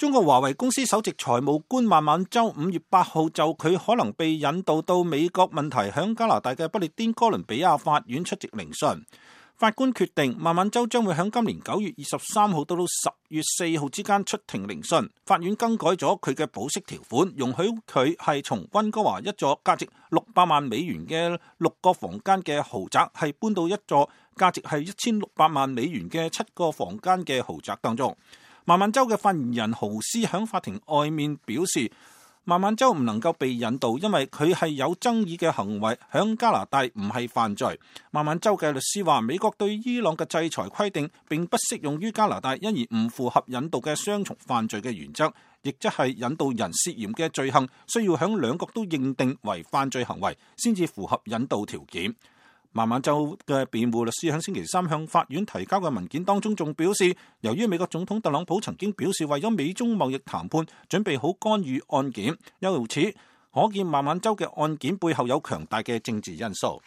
中國華為公司首席財務官孟晚舟5月8號就佢可能被引渡到美國問題響加拿大嘅不列顛哥倫比亞法院出席聆訊。法官決定孟晚舟將會響今年9月23號到10月4號之間出庭聆訊。法院更改咗佢嘅保釋條款，容許佢係從溫哥華一座價值600萬美元嘅6個房間嘅豪宅，係搬到一座價值係1600萬美元嘅7個房間嘅豪宅當中。孟晚舟嘅發言人豪斯響法庭外面表示，孟晚舟唔能夠被引渡，因為佢係有爭議嘅行為，響加拿大唔係犯罪。孟晚舟嘅律師話，美國對伊朗嘅制裁規定並不適用於加拿大，因而唔符合引渡嘅雙重犯罪嘅原則，亦即係引渡人涉嫌嘅罪行需要響兩國都認定為犯罪行為，先至符合引渡條件。孟晚舟嘅辯護律師喺星期三向法院提交嘅文件當中仲表示，由於美國總統特朗普曾經表示為咗美中貿易談判準備好干預案件，由此可見孟晚舟嘅案件背後有強大嘅政治因素。